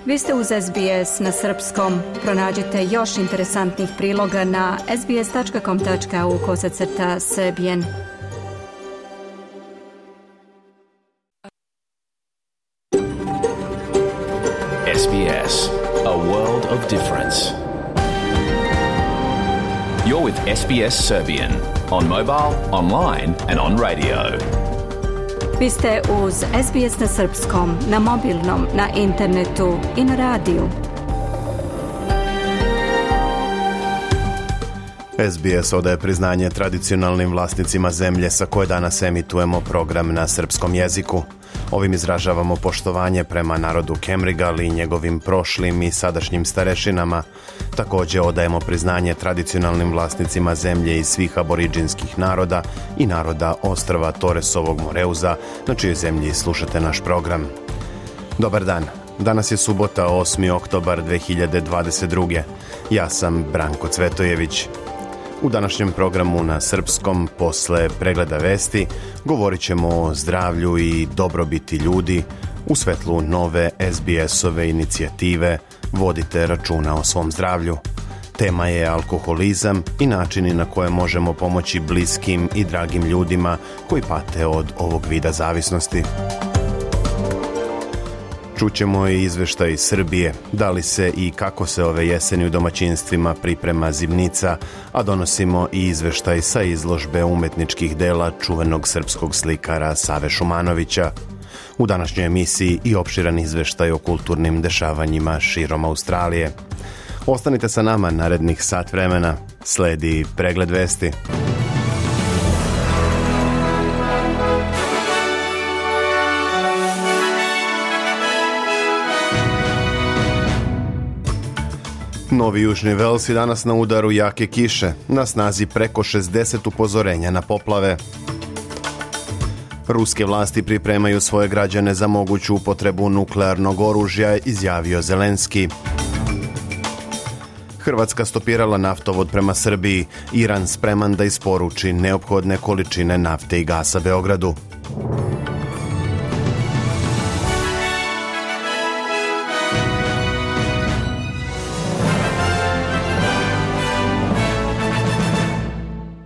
Vi ste uz SBS na srpskom. Pronađite još interesantnih priloga na sbs.com.au/serbian. SBS, a world of difference. You're with SBS Serbian on mobile, online and on radio. Vi ste uz SBS na srpskom, na mobilnom, na internetu i na radiju. SBS odaje priznanje tradicionalnim vlasnicima zemlje sa koje danas emitujemo program na srpskom jeziku. Ovim izražavamo poštovanje prema narodu Kemrigal i njegovim prošlim i sadašnjim starešinama. Također odajemo priznanje tradicionalnim vlasnicima zemlje i svih aboriđinskih naroda i naroda ostrva Toresovog Moreuza, na čijoj zemlji slušate naš program. Dobar dan. Danas je subota, 8. oktobar 2022. Ja sam Branko Cvetojević. U današnjem programu na srpskom, posle pregleda vesti, govorit ćemo o zdravlju i dobrobiti ljudi u svetlu nove SBS-ove inicijative Vodite računa o svom zdravlju. Tema je alkoholizam i načini na koje možemo pomoći bliskim i dragim ljudima koji pate od ovog vida zavisnosti. Čućemo i izveštaj iz Srbije, da li se i kako se ove jeseni u domaćinstvima priprema zimnica, a donosimo i izveštaj sa izložbe umetničkih dela čuvenog srpskog slikara Save Šumanovića. U današnjoj emisiji i opširan izveštaj o kulturnim dešavanjima širom Australije. Ostanite sa nama narednih sat vremena, sledi pregled vesti. Novi Južni Vels je danas na udaru jake kiše, na snazi preko 60 upozorenja na poplave. Ruske vlasti pripremaju svoje građane za moguću upotrebu nuklearnog oružja, izjavio Zelenski. Hrvatska stopirala naftovod prema Srbiji, Iran spreman da isporuči neophodne količine nafte i gasa Beogradu.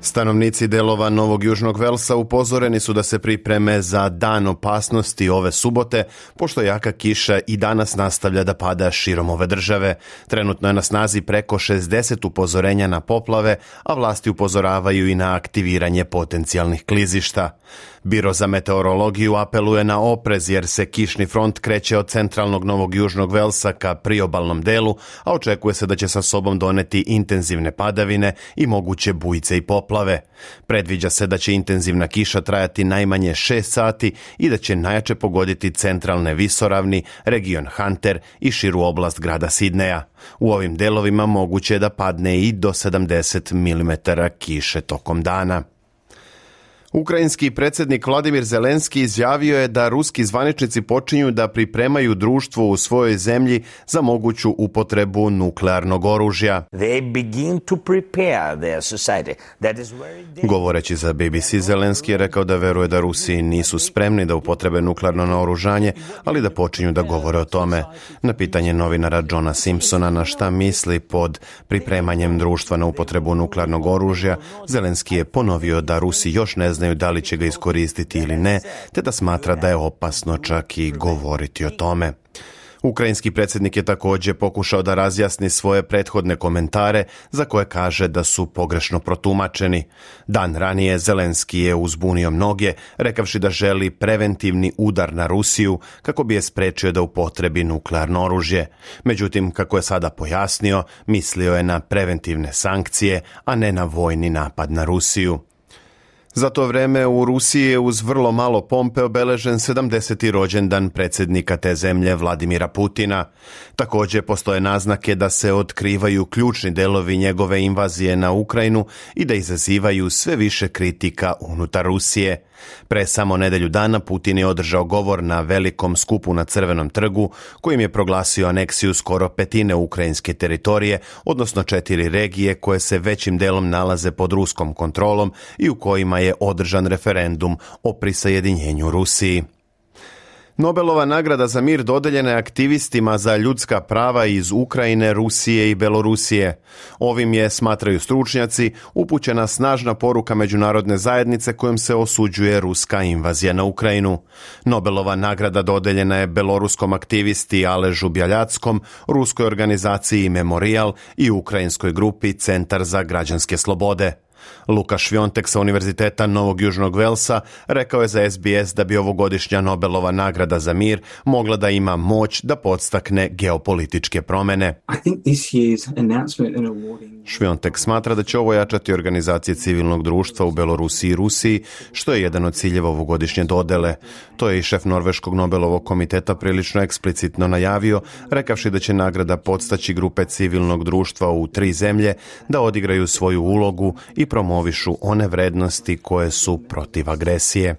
Stanovnici delova Novog Južnog Velsa upozoreni su da se pripreme za dan opasnosti ove subote, pošto jaka kiša i danas nastavlja da pada širom ove države. Trenutno je na snazi preko 60 upozorenja na poplave, a vlasti upozoravaju i na aktiviranje potencijalnih klizišta. Biro za meteorologiju apeluje na oprez jer se kišni front kreće od centralnog Novog Južnog Velsa ka priobalnom delu, a očekuje se da će sa sobom doneti intenzivne padavine i moguće bujice i poplave. Predviđa se da će intenzivna kiša trajati najmanje 6 sati i da će najjače pogoditi centralne visoravni, region Hunter i širu oblast grada Sidneja. U ovim delovima moguće je da padne i do 70 mm kiše tokom dana. Ukrajinski predsjednik Vladimir Zelenski izjavio je da ruski zvaničnici počinju da pripremaju društvo u svojoj zemlji za moguću upotrebu nuklearnog oružja. Govoreći za BBC, Zelenski je rekao da veruje da Rusi nisu spremni da upotrebe nuklearno naoružanje, ali da počinju da govore o tome. Na pitanje novinara Johna Simpsona na šta misli pod pripremanjem društva na upotrebu nuklearnog oružja, Zelenski je ponovio da Rusi još ne znaju da li će ga iskoristiti ili ne, te da smatra da je opasno čak i govoriti o tome. Ukrajinski predsjednik je također pokušao da razjasni svoje prethodne komentare za koje kaže da su pogrešno protumačeni. Dan ranije Zelenski je uzbunio mnoge, rekavši da želi preventivni udar na Rusiju kako bi je sprečio da upotrebi nuklearno oružje. Međutim, kako je sada pojasnio, mislio je na preventivne sankcije, a ne na vojni napad na Rusiju. Za to vreme u Rusiji je uz vrlo malo pompe obeležen 70. rođendan predsjednika te zemlje Vladimira Putina. Također postoje naznake da se otkrivaju ključni delovi njegove invazije na Ukrajinu i da izazivaju sve više kritika unutar Rusije. Pre samo nedelju dana Putin je održao govor na velikom skupu na Crvenom trgu kojim je proglasio aneksiju skoro petine ukrajinske teritorije, odnosno 4 regije koje se većim delom nalaze pod ruskom kontrolom i u kojima je održan referendum o prisajedinjenju Rusiji. Nobelova nagrada za mir dodeljena je aktivistima za ljudska prava iz Ukrajine, Rusije i Belorusije. Ovim je, smatraju stručnjaci, upućena snažna poruka međunarodne zajednice kojom se osuđuje ruska invazija na Ukrajinu. Nobelova nagrada dodeljena je beloruskom aktivisti Aležu Bjaljackom, ruskoj organizaciji Memorial i ukrajinskoj grupi Centar za građanske slobode. Luka Švjontek sa Univerziteta Novog Južnog Velsa rekao je za SBS da bi ovogodišnja Nobelova nagrada za mir mogla da ima moć da podstakne geopolitičke promene. Švjontek smatra da će ovo jačati organizacije civilnog društva u Belorusiji i Rusiji, što je jedan od ciljeva ovogodišnje dodele. To je i šef Norveškog Nobelovog komiteta prilično eksplicitno najavio, rekavši da će nagrada podstaći grupe civilnog društva u 3 zemlje da odigraju svoju ulogu i promovišu one vrednosti koje su protiv agresije.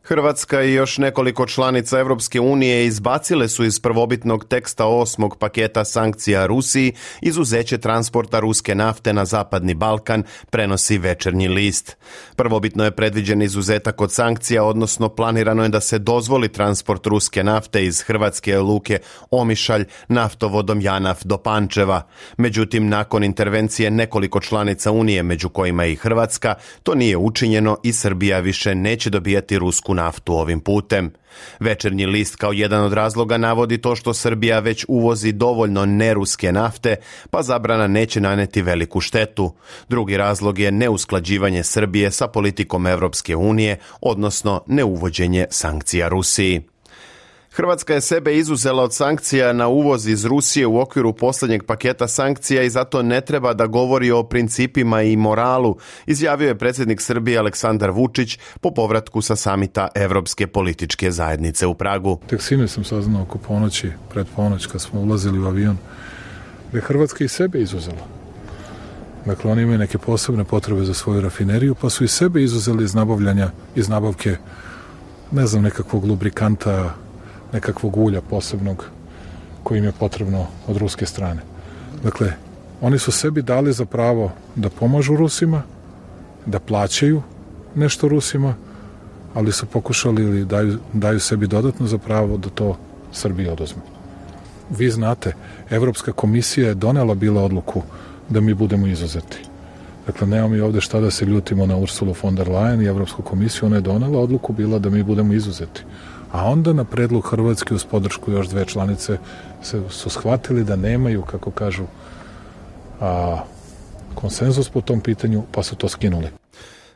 Hrvatska i još nekoliko članica Europske unije izbacile su iz prvobitnog teksta 8. paketa sankcija Rusiji izuzeće transporta ruske nafte na Zapadni Balkan, prenosi Večernji list. Prvobitno je predviđen izuzetak od sankcija, odnosno planirano je da se dozvoli transport ruske nafte iz hrvatske luke Omišalj naftovodom Janaf do Pančeva. Međutim, nakon intervencije nekoliko članica Unije, među kojima i Hrvatska, to nije učinjeno i Srbija više neće dobijati rusku naftu ovim putem. Večernji list kao jedan od razloga navodi to što Srbija već uvozi dovoljno neruske nafte, pa zabrana neće naneti veliku štetu. Drugi razlog je neusklađivanje Srbije sa politikom Europske unije, odnosno neuvođenje sankcija Rusiji. Hrvatska je sebe izuzela od sankcija na uvoz iz Rusije u okviru posljednjeg paketa sankcija i zato ne treba da govori o principima i moralu, izjavio je predsjednik Srbije Aleksandar Vučić po povratku sa samita Evropske političke zajednice u Pragu. Tek sinoć sam saznao oko ponoći, pred ponoć kad smo ulazili u avion, da je Hrvatska i sebe izuzela. Dakle, oni imaju neke posebne potrebe za svoju rafineriju, pa su i sebe izuzeli iz nabavke, ne znam, nekakvog lubrikanta, nekakvog ulja posebnog koji im je potrebno od ruske strane. Dakle, oni su sebi dali za pravo da pomažu Rusima, da plaćaju nešto Rusima, ali su pokušali ili daju sebi dodatno za pravo da to Srbiji oduzme. Vi znate, Evropska komisija je donela bila odluku da mi budemo izuzeti. Dakle, nemamo mi ovde šta da se ljutimo na Ursulu von der Leyen i Evropsku komisiju, ona je donela odluku bila da mi budemo izuzeti. A onda na predlog Hrvatske uz podršku još 2 članice su shvatili da nemaju, kako kažu, konsenzus po tom pitanju, pa su to skinuli.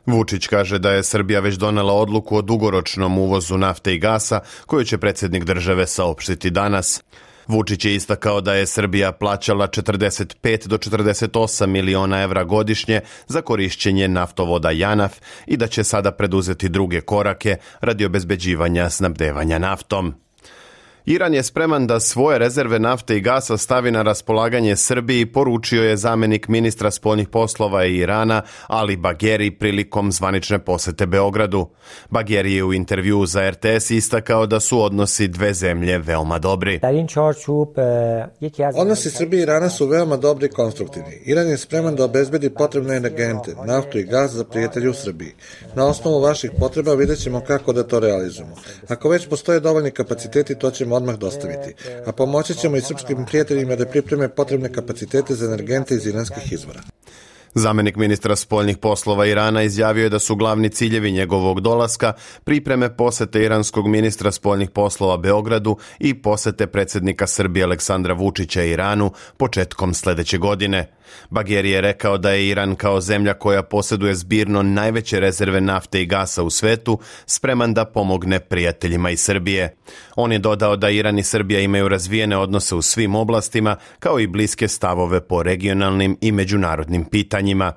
Vučić kaže da je Srbija već donela odluku o dugoročnom uvozu nafte i gasa, koju će predsjednik države saopštiti danas. Vučić je istakao da je Srbija plaćala 45 do 48 miliona evra godišnje za korišćenje naftovoda Janaf i da će sada preduzeti druge korake radi obezbeđivanja snabdevanja naftom. Iran je spreman da svoje rezerve nafte i gasa stavi na raspolaganje Srbiji, poručio je zamjenik ministra spoljnih poslova Irana Ali Bagheri prilikom zvanične posete Beogradu. Bagheri je u intervjuu za RTS istakao da su odnosi 2 zemlje veoma dobri. Odnosi Srbije i Irana su veoma dobri i konstruktivni. Iran je spreman da obezbedi potrebne energente, naftu i gas za prijatelje u Srbiji. Na osnovu vaših potreba vidjet ćemo kako da to realizujemo. Ako već postoje dovoljni kapaciteti, to ćemo odmah dostaviti, a pomoći ćemo i srpskim prijateljima da pripreme potrebne kapacitete za energente iz iranskih izvora. Zamjenik ministra spoljnih poslova Irana izjavio je da su glavni ciljevi njegovog dolaska pripreme posete iranskog ministra spoljnih poslova Beogradu i posete predsjednika Srbije Aleksandra Vučića Iranu početkom sljedeće godine. Bagheri je rekao da je Iran kao zemlja koja posjeduje zbirno najveće rezerve nafte i gasa u svetu spreman da pomogne prijateljima iz Srbije. On je dodao da Iran i Srbija imaju razvijene odnose u svim oblastima kao i bliske stavove po regionalnim i međunarodnim pitanjima.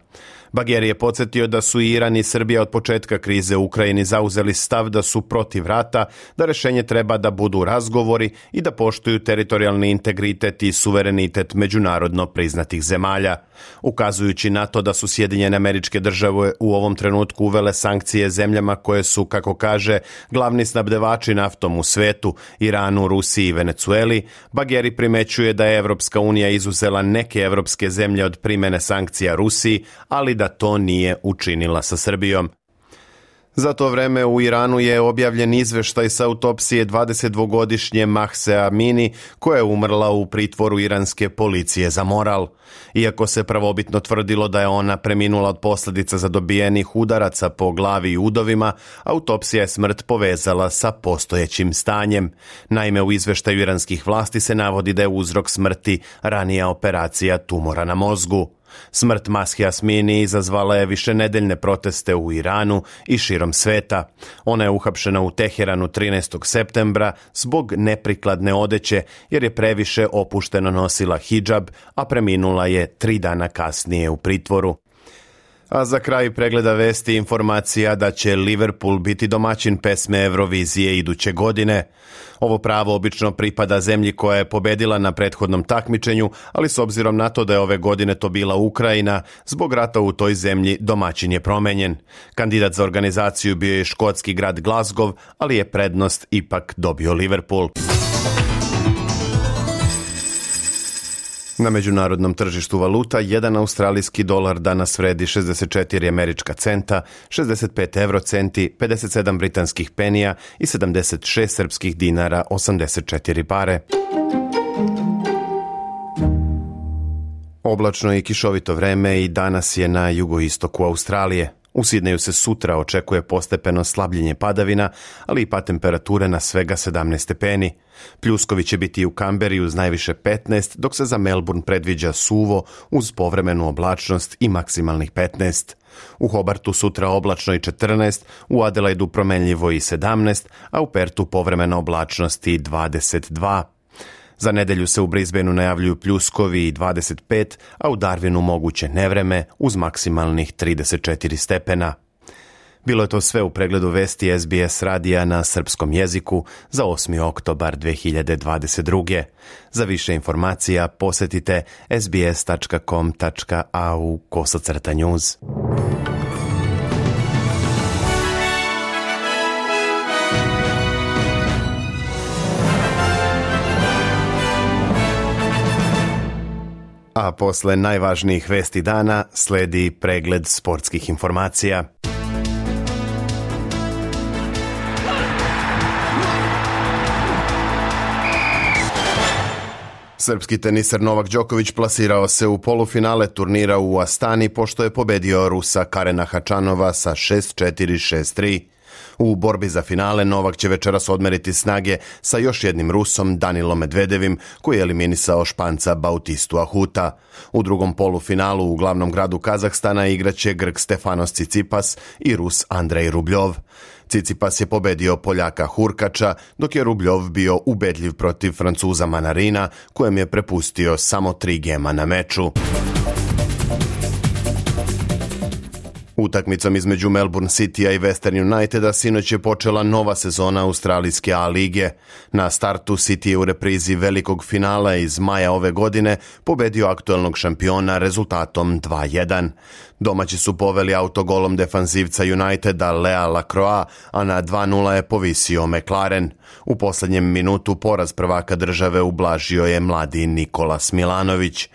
Bagheri je podsjetio da su Iran i Srbija od početka krize u Ukrajini zauzeli stav da su protiv rata, da rješenje treba da budu razgovori i da poštuju teritorijalni integritet i suverenitet međunarodno priznatih zemalja. Ukazujući na to da su Sjedinjene Američke Države u ovom trenutku uvele sankcije zemljama koje su, kako kaže, glavni snabdevači naftom u svetu, Iranu, Rusiji i Venecueli, Bagheri primećuje da je Evropska unija izuzela neke evropske zemlje od primjene sankcija Rusiji, ali da to nije učinila sa Srbijom. Za to vreme u Iranu je objavljen izveštaj sa autopsije 22-godišnje Mahse Amini, koja je umrla u pritvoru iranske policije za moral. Iako se prvobitno tvrdilo da je ona preminula od posljedica zadobijenih udaraca po glavi i udovima, autopsija je smrt povezala sa postojećim stanjem. Naime, u izveštaju iranskih vlasti se navodi da je uzrok smrti ranija operacija tumora na mozgu. Smrt Mahse Amini izazvala je višenedeljne proteste u Iranu i širom sveta. Ona je uhapšena u Teheranu 13. septembra zbog neprikladne odeće jer je previše opušteno nosila hidžab, a preminula je 3 dana kasnije u pritvoru. A za kraj pregleda vesti informacija da će Liverpool biti domaćin pesme Eurovizije iduće godine. Ovo pravo obično pripada zemlji koja je pobedila na prethodnom takmičenju, ali s obzirom na to da je ove godine to bila Ukrajina, zbog rata u toj zemlji domaćin je promenjen. Kandidat za organizaciju bio je škotski grad Glasgow, ali je prednost ipak dobio Liverpool. Na međunarodnom tržištu valuta, 1 australijski dolar danas vredi 64 američka centa, 65 eurocenti, 57 britanskih penija i 76 srpskih dinara, 84 pare. Oblačno i kišovito vreme i danas je na jugoistoku Australije. U Sidneju se sutra očekuje postepeno slabljenje padavina, ali i pad temperature na svega 17 stepeni. Pljuskovi će biti u Kamberi uz najviše 15, dok se za Melbourne predviđa suvo uz povremenu oblačnost i maksimalnih 15. U Hobartu sutra oblačno i 14, u Adelaidu promenljivo i 17, a u Pertu povremena oblačnost i 22. Za nedelju se u Brisbaneu najavljuju pljuskovi i 25, a u Darwinu moguće nevreme uz maksimalnih 34 stepena. Bilo je to sve u pregledu vesti SBS radija na srpskom jeziku za 8. oktobar 2022. Za više informacija posjetite sbs.com.au/news. A posle najvažnijih vesti dana sledi pregled sportskih informacija. Srpski teniser Novak Đoković plasirao se u polufinale turnira u Astani pošto je pobedio Rusa Karena Hačanova sa 6-4, 6-3. U borbi za finale Novak će večeras odmeriti snage sa još jednim Rusom, Danilom Medvedevim, koji je eliminisao Španca Bautistu Ahuta. U drugom polufinalu u glavnom gradu Kazahstana igraće Grk Stefanos Tsitsipas i Rus Andrej Rubljov. Tsitsipas je pobedio Poljaka Hurkača, dok je Rubljov bio ubedljiv protiv Francuza Manarina, kojem je prepustio samo 3 gema na meču. Utakmicom između Melbourne Citya i Western Uniteda sinoć je počela nova sezona australijske A lige. Na startu City je u reprizi velikog finala iz maja ove godine pobedio aktuelnog šampiona rezultatom 2-1. Domaći su poveli autogolom defanzivca Uniteda Lea Lacroix, a na 2-0 je povisio McLaren. U posljednjem minutu poraz prvaka države ublažio je mladi Nikolas Milanović.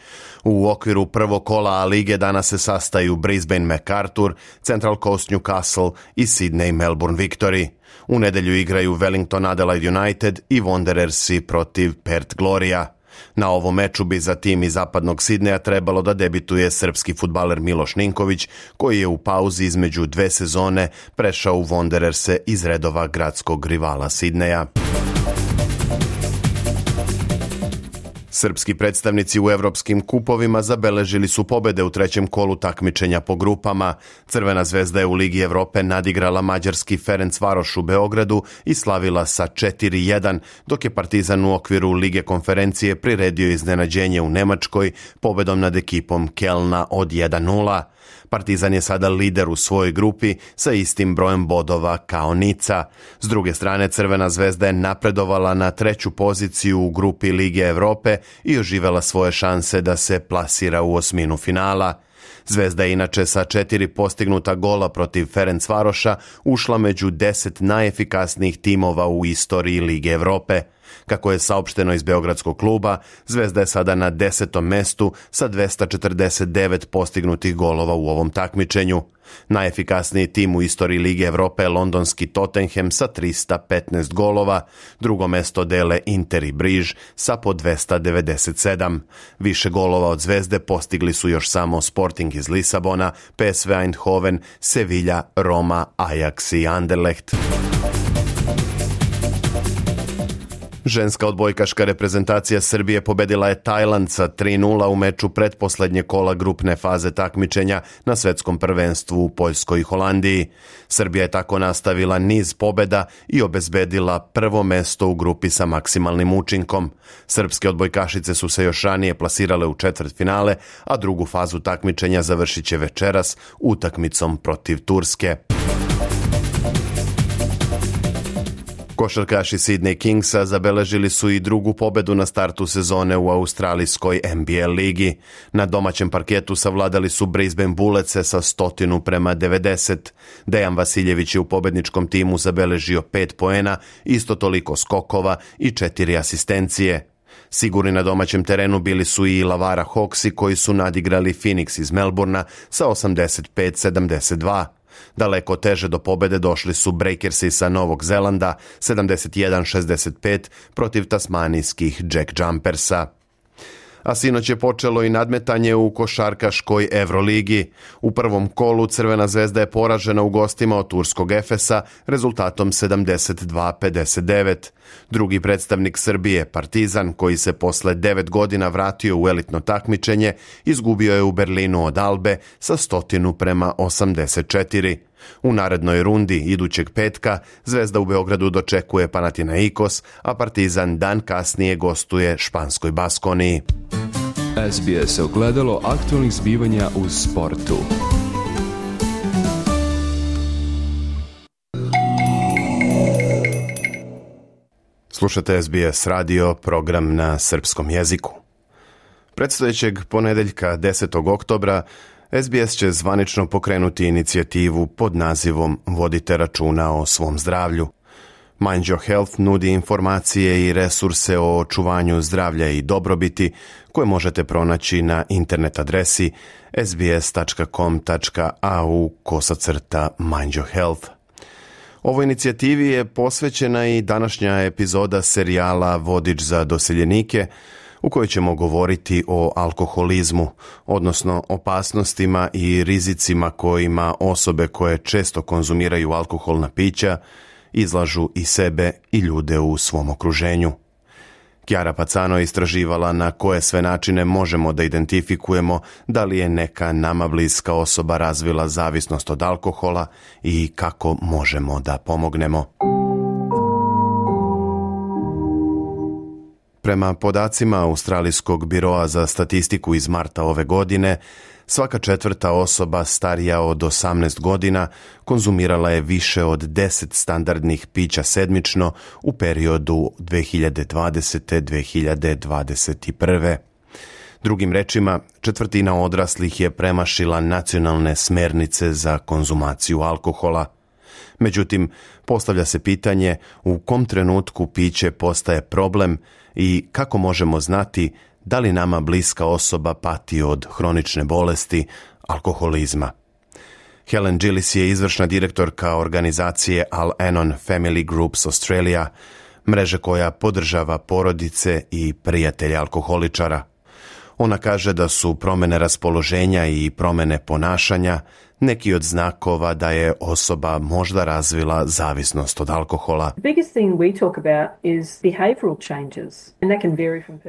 U okviru prvog kola A lige danas se sastaju Brisbane MacArthur, Central Coast Newcastle i Sydney Melbourne Victory. U nedelju igraju Wellington Adelaide United i Wanderersi protiv Perth Gloria. Na ovom meču bi za tim iz zapadnog Sidneja trebalo da debituje srpski fudbaler Miloš Ninković, koji je u pauzi između 2 sezone prešao u Wandererse iz redova gradskog rivala Sidneja. Srpski predstavnici u evropskim kupovima zabeležili su pobede u trećem kolu takmičenja po grupama. Crvena zvezda je u Ligi Evrope nadigrala mađarski Ferencvaroš u Beogradu i slavila sa 4-1, dok je Partizan u okviru Lige konferencije priredio iznenađenje u Nemačkoj pobedom nad ekipom Kelna od 1-0. Partizan je sada lider u svojoj grupi sa istim brojem bodova kao Nica. S druge strane, Crvena zvezda je napredovala na 3. poziciju u grupi Lige Evrope i oživela svoje šanse da se plasira u osminu finala. Zvezda je inače sa 4 postignuta gola protiv Ferencvaroša ušla među 10 najefikasnijih timova u istoriji Lige Evrope. Kako je saopšteno iz beogradskog kluba, Zvezda je sada na 10. mestu sa 249 postignutih golova u ovom takmičenju. Najefikasniji tim u istoriji Lige Evrope je londonski Tottenham sa 315 golova, drugo mesto dele Inter i Briž sa po 297. Više golova od Zvezde postigli su još samo Sporting iz Lisabona, PSV Eindhoven, Sevilla, Roma, Ajax i Anderlecht. Ženska odbojkaška reprezentacija Srbije pobedila je Tajland sa 3:0 u meču pretposlednje kola grupne faze takmičenja na svetskom prvenstvu u Poljskoj i Holandiji. Srbija je tako nastavila niz pobeda i obezbedila prvo mesto u grupi sa maksimalnim učinkom. Srpske odbojkašice su se još ranije plasirale u četvrtfinale, a drugu fazu takmičenja završit će večeras utakmicom protiv Turske. Košarkaši Sydney Kingsa zabeležili su i drugu pobedu na startu sezone u australijskoj NBA ligi. Na domaćem parketu savladali su Brisbane Bulletse sa 100-90. Dejan Vasiljević je u pobedničkom timu zabeležio 5 poena, isto toliko skokova i 4 asistencije. Sigurni na domaćem terenu bili su i Lavara Hawksi koji su nadigrali Phoenix iz Melbourna sa 85-72. Daleko teže do pobede došli su Breakersi sa Novog Zelanda 71-65 protiv tasmanijskih Jack Jumpersa. A sinoć je počelo i nadmetanje u košarkaškoj Evroligi. U prvom kolu Crvena zvezda je poražena u gostima od turskog Efesa rezultatom 72-59. Drugi predstavnik Srbije, Partizan, koji se posle 9 godina vratio u elitno takmičenje, izgubio je u Berlinu od Albe sa 100-84. U narednoj rundi idućeg petka Zvezda u Beogradu dočekuje Panathinaikos, a Partizan dan kasnije gostuje španskoj Baskoniji. SBS ogledalo aktualnih zbivanja u sportu. Slušate SBS radio, program na srpskom jeziku. Predstojećeg ponedeljka 10. oktobra SBS će zvanično pokrenuti inicijativu pod nazivom Vodite računa o svom zdravlju. Mind Your Health nudi informacije i resurse o očuvanju zdravlja i dobrobiti koje možete pronaći na internet adresi sbs.com.au/Mind Your Health. Ovoj inicijativi je posvećena i današnja epizoda serijala Vodič za doseljenike, u kojoj ćemo govoriti o alkoholizmu, odnosno opasnostima i rizicima kojima osobe koje često konzumiraju alkoholna pića izlažu i sebe i ljude u svom okruženju. Chiara Pacano je istraživala na koje sve načine možemo da identifikujemo da li je neka nama bliska osoba razvila zavisnost od alkohola i kako možemo da pomognemo. Prema podacima Australijskog biroa za statistiku iz marta ove godine, svaka četvrta osoba starija od 18 godina konzumirala je više od 10 standardnih pića sedmično u periodu 2020-2021. Drugim rečima, četvrtina odraslih je premašila nacionalne smernice za konzumaciju alkohola. Međutim, postavlja se pitanje u kom trenutku piće postaje problem i kako možemo znati da li nama bliska osoba pati od hronične bolesti, alkoholizma. Helen Gillis je izvršna direktorka organizacije Al-Anon Family Groups Australia, mreže koja podržava porodice i prijatelje alkoholičara. Ona kaže da su promene raspoloženja i promene ponašanja neki od znakova da je osoba možda razvila zavisnost od alkohola.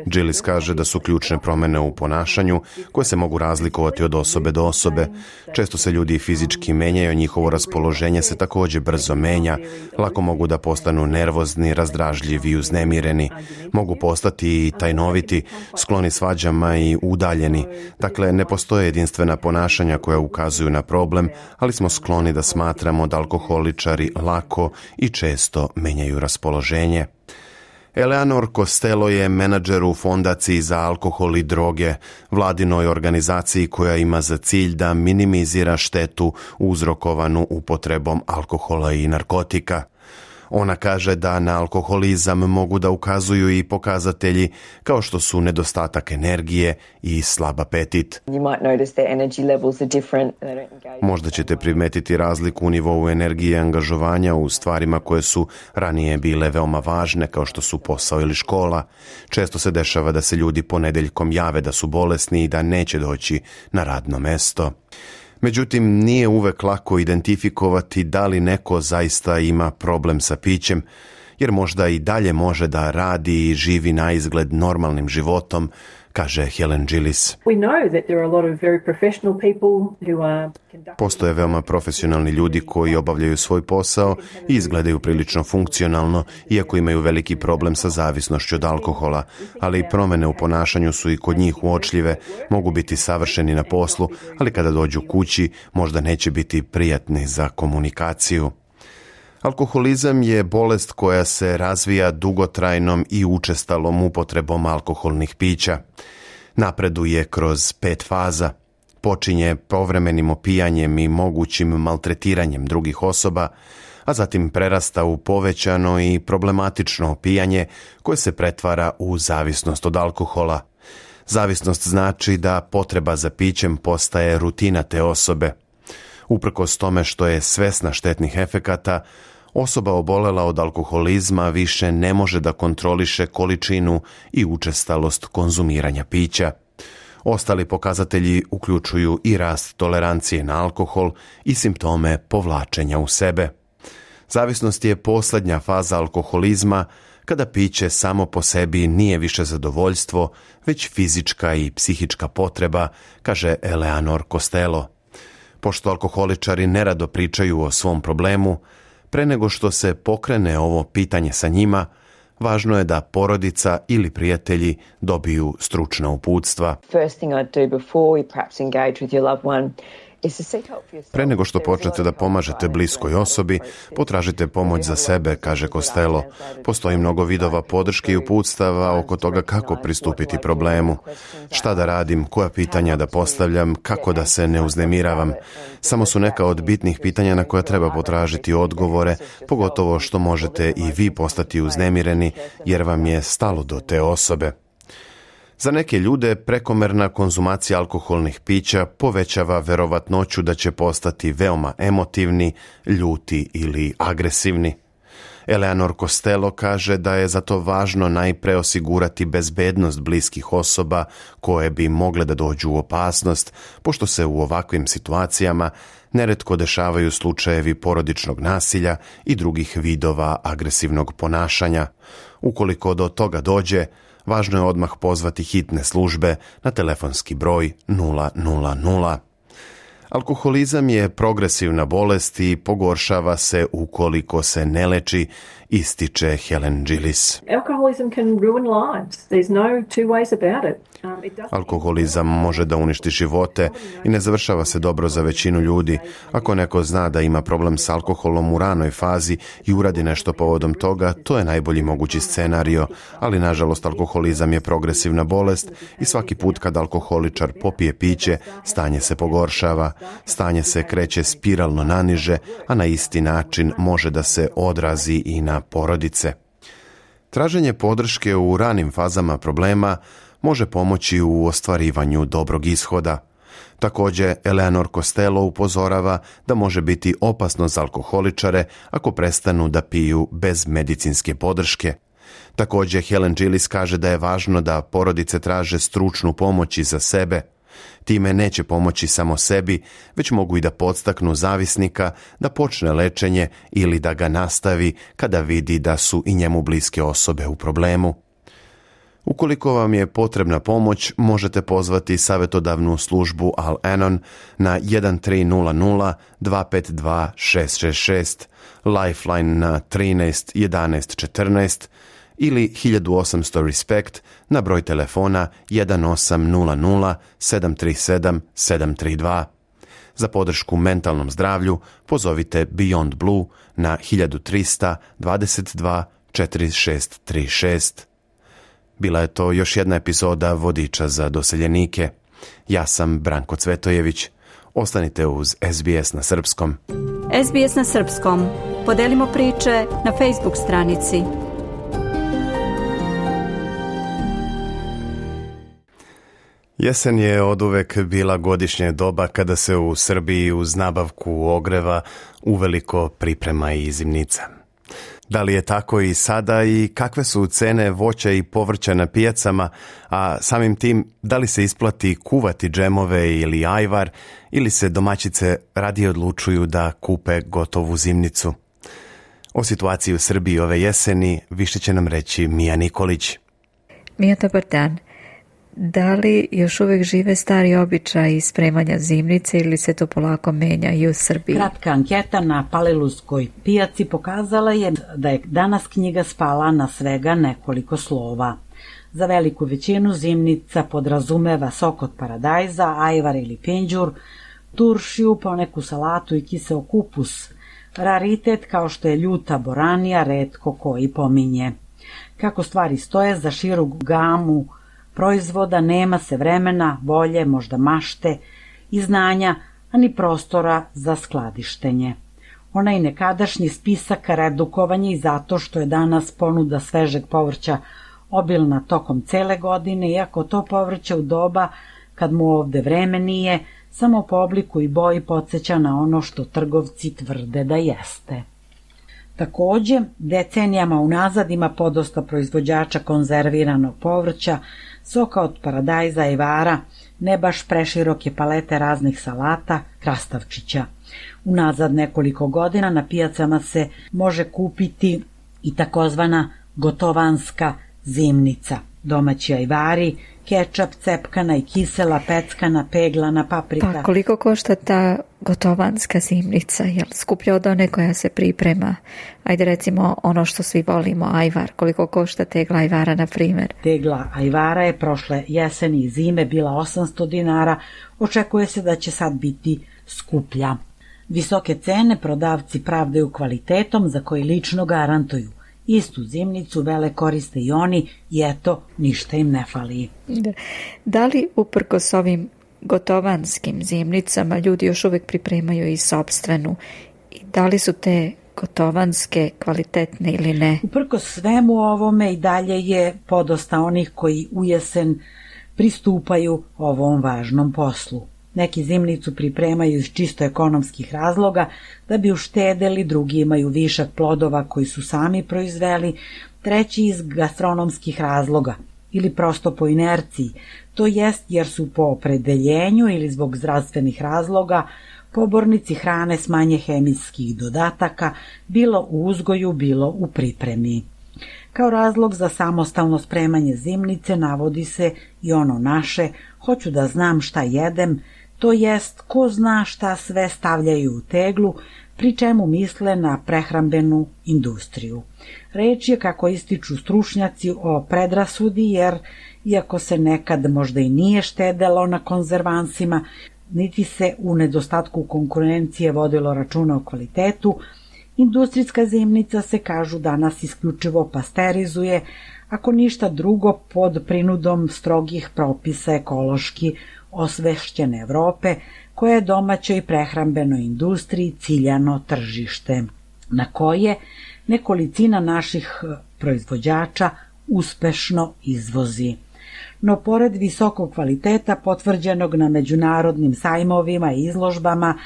Gillis kaže da su ključne promene u ponašanju koje se mogu razlikovati od osobe do osobe. Često se ljudi fizički menjaju, njihovo raspoloženje se također brzo menja, lako mogu da postanu nervozni, razdražljivi i uznemireni. Mogu postati i tajnoviti, skloni svađama i udaljeni. Dakle, ne postoje jedinstvena ponašanja koja ukazuju na problem, ali smo skloni da smatramo da alkoholičari lako i često menjaju raspoloženje. Eleanor Costello je menadžer u Fondaciji za alkohol i droge, vladinoj organizaciji koja ima za cilj da minimizira štetu uzrokovanu upotrebom alkohola i narkotika. Ona kaže da na alkoholizam mogu da ukazuju i pokazatelji kao što su nedostatak energije i slab apetit. Možda ćete primetiti razliku u nivou energije i angažovanja u stvarima koje su ranije bile veoma važne, kao što su posao ili škola. Često se dešava da se ljudi ponedeljkom jave da su bolesni i da neće doći na radno mesto. Međutim, nije uvek lako identifikovati da li neko zaista ima problem sa pićem, jer možda i dalje može da radi i živi na izgled normalnim životom, kaže Helen Gillis. Postoje veoma profesionalni ljudi koji obavljaju svoj posao i izgledaju prilično funkcionalno, iako imaju veliki problem sa zavisnošću od alkohola, ali i promene u ponašanju su i kod njih uočljive, mogu biti savršeni na poslu, ali kada dođu kući možda neće biti prijatni za komunikaciju. Alkoholizam je bolest koja se razvija dugotrajnom i učestalom upotrebom alkoholnih pića. Napreduje kroz 5 faza. Počinje povremenim opijanjem i mogućim maltretiranjem drugih osoba, a zatim prerasta u povećano i problematično opijanje koje se pretvara u zavisnost od alkohola. Zavisnost znači da potreba za pićem postaje rutina te osobe. Uprkos tome što je svesna štetnih efekata, osoba obolela od alkoholizma više ne može da kontroliše količinu i učestalost konzumiranja pića. Ostali pokazatelji uključuju i rast tolerancije na alkohol i simptome povlačenja u sebe. Zavisnost je posljednja faza alkoholizma, kada piće samo po sebi nije više zadovoljstvo, već fizička i psihička potreba, kaže Eleanor Costello. Pošto alkoholičari nerado pričaju o svom problemu, pre nego što se pokrene ovo pitanje sa njima, važno je da porodica ili prijatelji dobiju stručna uputstva. Pre nego što počnete da pomažete bliskoj osobi, potražite pomoć za sebe, kaže Costello. Postoji mnogo vidova podrške i uputstava oko toga kako pristupiti problemu. Šta da radim, koja pitanja da postavljam, kako da se ne uznemiravam. Samo su neka od bitnih pitanja na koja treba potražiti odgovore, pogotovo što možete i vi postati uznemireni jer vam je stalo do te osobe. Za neke ljude prekomerna konzumacija alkoholnih pića povećava verovatnoću da će postati veoma emotivni, ljuti ili agresivni. Eleanor Costello kaže da je zato važno najpre osigurati bezbednost bliskih osoba koje bi mogle da dođu u opasnost, pošto se u ovakvim situacijama neretko dešavaju slučajevi porodičnog nasilja i drugih vidova agresivnog ponašanja. Ukoliko do toga dođe, važno je odmah pozvati hitne službe na telefonski broj 000. Alkoholizam je progresivna bolest i pogoršava se ukoliko se ne leči, ističe Helen Gillis. Alkoholizam može da uništi živote i ne završava se dobro za većinu ljudi. Ako neko zna da ima problem s alkoholom u ranoj fazi i uradi nešto povodom toga, to je najbolji mogući scenario, ali nažalost alkoholizam je progresivna bolest i svaki put kad alkoholičar popije piće, stanje se pogoršava, stanje se kreće spiralno naniže, a na isti način može da se odrazi i na porodice. Traženje podrške u ranim fazama problema može pomoći u ostvarivanju dobrog ishoda. Također, Eleanor Costello upozorava da može biti opasno za alkoholičare ako prestanu da piju bez medicinske podrške. Također, Helen Gillis kaže da je važno da porodice traže stručnu pomoć i za sebe. Time neće pomoći samo sebi, već mogu i da podstaknu zavisnika da počne lečenje ili da ga nastavi kada vidi da su i njemu bliske osobe u problemu. Ukoliko vam je potrebna pomoć, možete pozvati savjetodavnu službu Al-Anon na 1300 252 666, Lifeline na 13 11 14 ili 1800 RESPECT na broj telefona 1800 737 732. Za podršku mentalnom zdravlju pozovite Beyond Blue na 1300 22 4636. Bila je to još jedna epizoda Vodiča za doseljenike. Ja sam Branko Cvetojević. Ostanite uz SBS na srpskom. SBS na srpskom. Podelimo priče na Facebook stranici. Jesen je oduvek bila godišnje doba kada se u Srbiji uz nabavku ogreva uveliko priprema i zimnica. Da li je tako i sada i kakve su cene voća i povrća na pijacama, a samim tim da li se isplati kuvati džemove ili ajvar ili se domaćice radije odlučuju da kupe gotovu zimnicu? O situaciji u Srbiji ove jeseni više će nam reći Mija Nikolić. Mija, dobar dan. Da li još uvijek žive stari običaji spremanja zimnice ili se to polako menja i u Srbiji? Kratka anketa na Palilulskoj pijaci pokazala je da je danas knjiga spala na svega nekoliko slova. Za veliku većinu zimnica podrazumeva sok od paradajza, ajvar ili pinđur, turšiju, poneku salatu i kiseo kupus. Raritet kao što je ljuta boranija retko koji pominje. Kako stvari stoje, za širu gamu proizvoda nema se vremena, volje, možda mašte i znanja, a ni prostora za skladištenje. Onaj nekadašnji spisak redukovan je i zato što je danas ponuda svežeg povrća obilna tokom cele godine, iako to povrće u doba kad mu ovde vreme nije, samo po obliku i boji podsjeća na ono što trgovci tvrde da jeste. Takođe, decenijama unazad ima podosta proizvođača konzerviranog povrća, soka od paradajza i vara, ne baš preširoke palete raznih salata, krastavčića. Unazad nekoliko godina na pijacama se može kupiti i takozvana gotovanska zimnica. Domaći ajvari, kečap, cepkana i kisela, peckana, peglana, paprika. Pa koliko košta ta gotovanska zimnica? Je li skuplja od one koja se priprema? Ajde recimo ono što svi volimo, ajvar. Koliko košta tegla ajvara, na primjer? Tegla ajvara je prošle jeseni i zime bila 800 dinara. Očekuje se da će sad biti skuplja. Visoke cene prodavci pravdaju kvalitetom za koji lično garantuju. Istu zimnicu vele koriste i oni i eto, ništa im ne fali. Da li uprkos ovim gotovanskim zimnicama ljudi još uvijek pripremaju i sopstvenu? I da li su te gotovanske kvalitetne ili ne? Uprkos svemu ovome i dalje je podosta onih koji u jesen pristupaju ovom važnom poslu. Neki zimnicu pripremaju iz čisto ekonomskih razloga da bi uštedeli, drugi imaju višak plodova koji su sami proizveli, treći iz gastronomskih razloga ili prosto po inerciji, to jest jer su po opredeljenju ili zbog zdravstvenih razloga pobornici hrane s manje hemijskih dodataka, bilo u uzgoju, bilo u pripremi. Kao razlog za samostalno spremanje zimnice navodi se i ono naše, hoću da znam šta jedem, to jest ko zna šta sve stavljaju u teglu, pri čemu misle na prehrambenu industriju. Reč je, kako ističu stručnjaci, o predrasudi, jer iako se nekad možda i nije štedelo na konzervansima, niti se u nedostatku konkurencije vodilo računa o kvalitetu, industrijska zimnica se, kažu, danas isključivo pasterizuje, ako ništa drugo pod prinudom strogih propisa ekološki osvešćene Evrope, koja je domaćoj prehrambenoj industriji ciljano tržište, na koje nekolicina naših proizvođača uspešno izvozi. No, pored visokog kvaliteta potvrđenog na međunarodnim sajmovima i izložbama,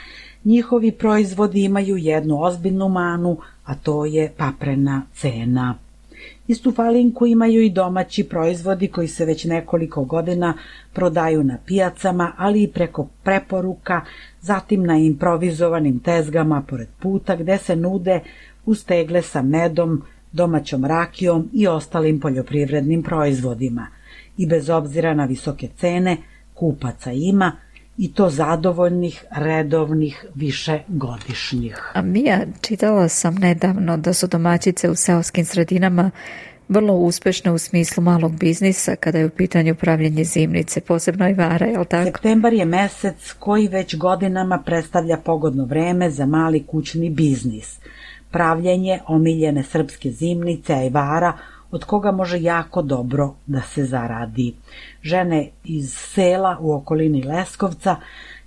njihovi proizvodi imaju jednu ozbiljnu manu, a to je paprena cena. Istu falinku imaju i domaći proizvodi koji se već nekoliko godina prodaju na pijacama, ali i preko preporuka, zatim na improvizovanim tezgama pored puta gde se nude uz tegle sa medom, domaćom rakijom i ostalim poljoprivrednim proizvodima. I bez obzira na visoke cene, kupaca ima, i to zadovoljnih, redovnih, višegodišnjih. A Mija, čitala sam nedavno da su domaćice u seoskim sredinama vrlo uspešne u smislu malog biznisa kada je u pitanju pravljenje zimnice, posebno i vara, je li tako? Septembar je mesec koji već godinama predstavlja pogodno vreme za mali kućni biznis. Pravljenje omiljene srpske zimnice, ajvara, od koga može jako dobro da se zaradi. Žene iz sela u okolini Leskovca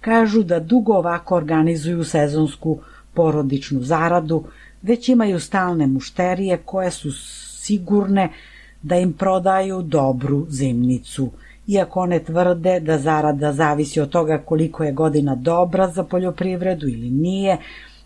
kažu da dugo ovako organizuju sezonsku porodičnu zaradu, već imaju stalne mušterije koje su sigurne da im prodaju dobru zimnicu. Iako one tvrde da zarada zavisi od toga koliko je godina dobra za poljoprivredu ili nije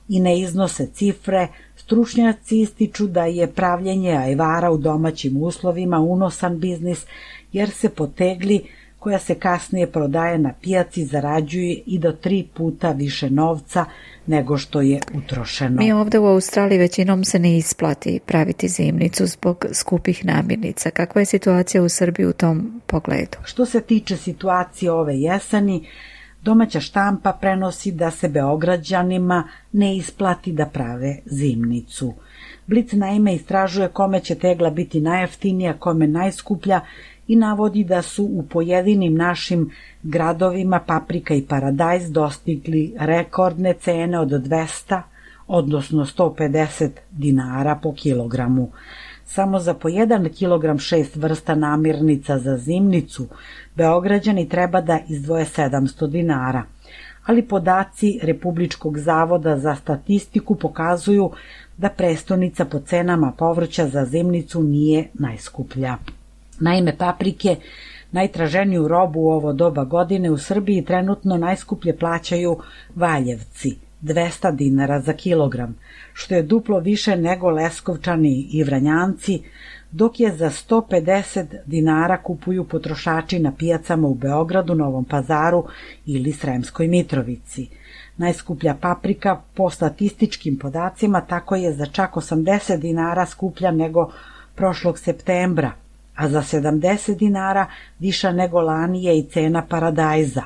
i ne iznose cifre, stručnjaci ističu da je pravljenje ajvara u domaćim uslovima unosan biznis, jer se po tegli koja se kasnije prodaje na pijaci zarađuje i do 3 puta više novca nego što je utrošeno. Mi ovde u Australiji većinom se ne isplati praviti zimnicu zbog skupih namirnica. Kakva je situacija u Srbiji u tom pogledu? Što se tiče situacije ove jeseni, domaća štampa prenosi da se Beograđanima ne isplati da prave zimnicu. Blic naime istražuje kome će tegla biti najjeftinija, kome najskuplja i navodi da su u pojedinim našim gradovima paprika i paradajz dostigli rekordne cene od 200, odnosno 150 dinara po kilogramu. Samo za po 1 kilogram 6 vrsta namirnica za zimnicu Beograđani treba da izdvoje 700 dinara, ali podaci Republičkog zavoda za statistiku pokazuju da prestonica po cenama povrća za zimnicu nije najskuplja. Naime, paprike, najtraženiju robu u ovo doba godine u Srbiji, trenutno najskuplje plaćaju Valjevci, 200 dinara za kilogram, što je duplo više nego Leskovčani i Vranjanci, dok je za 150 dinara kupuju potrošači na pijacama u Beogradu, Novom Pazaru ili Sremskoj Mitrovici. Najskuplja paprika po statističkim podacima tako je za čak 80 dinara skuplja nego prošlog septembra, a za 70 dinara viša nego lani je i cena paradajza.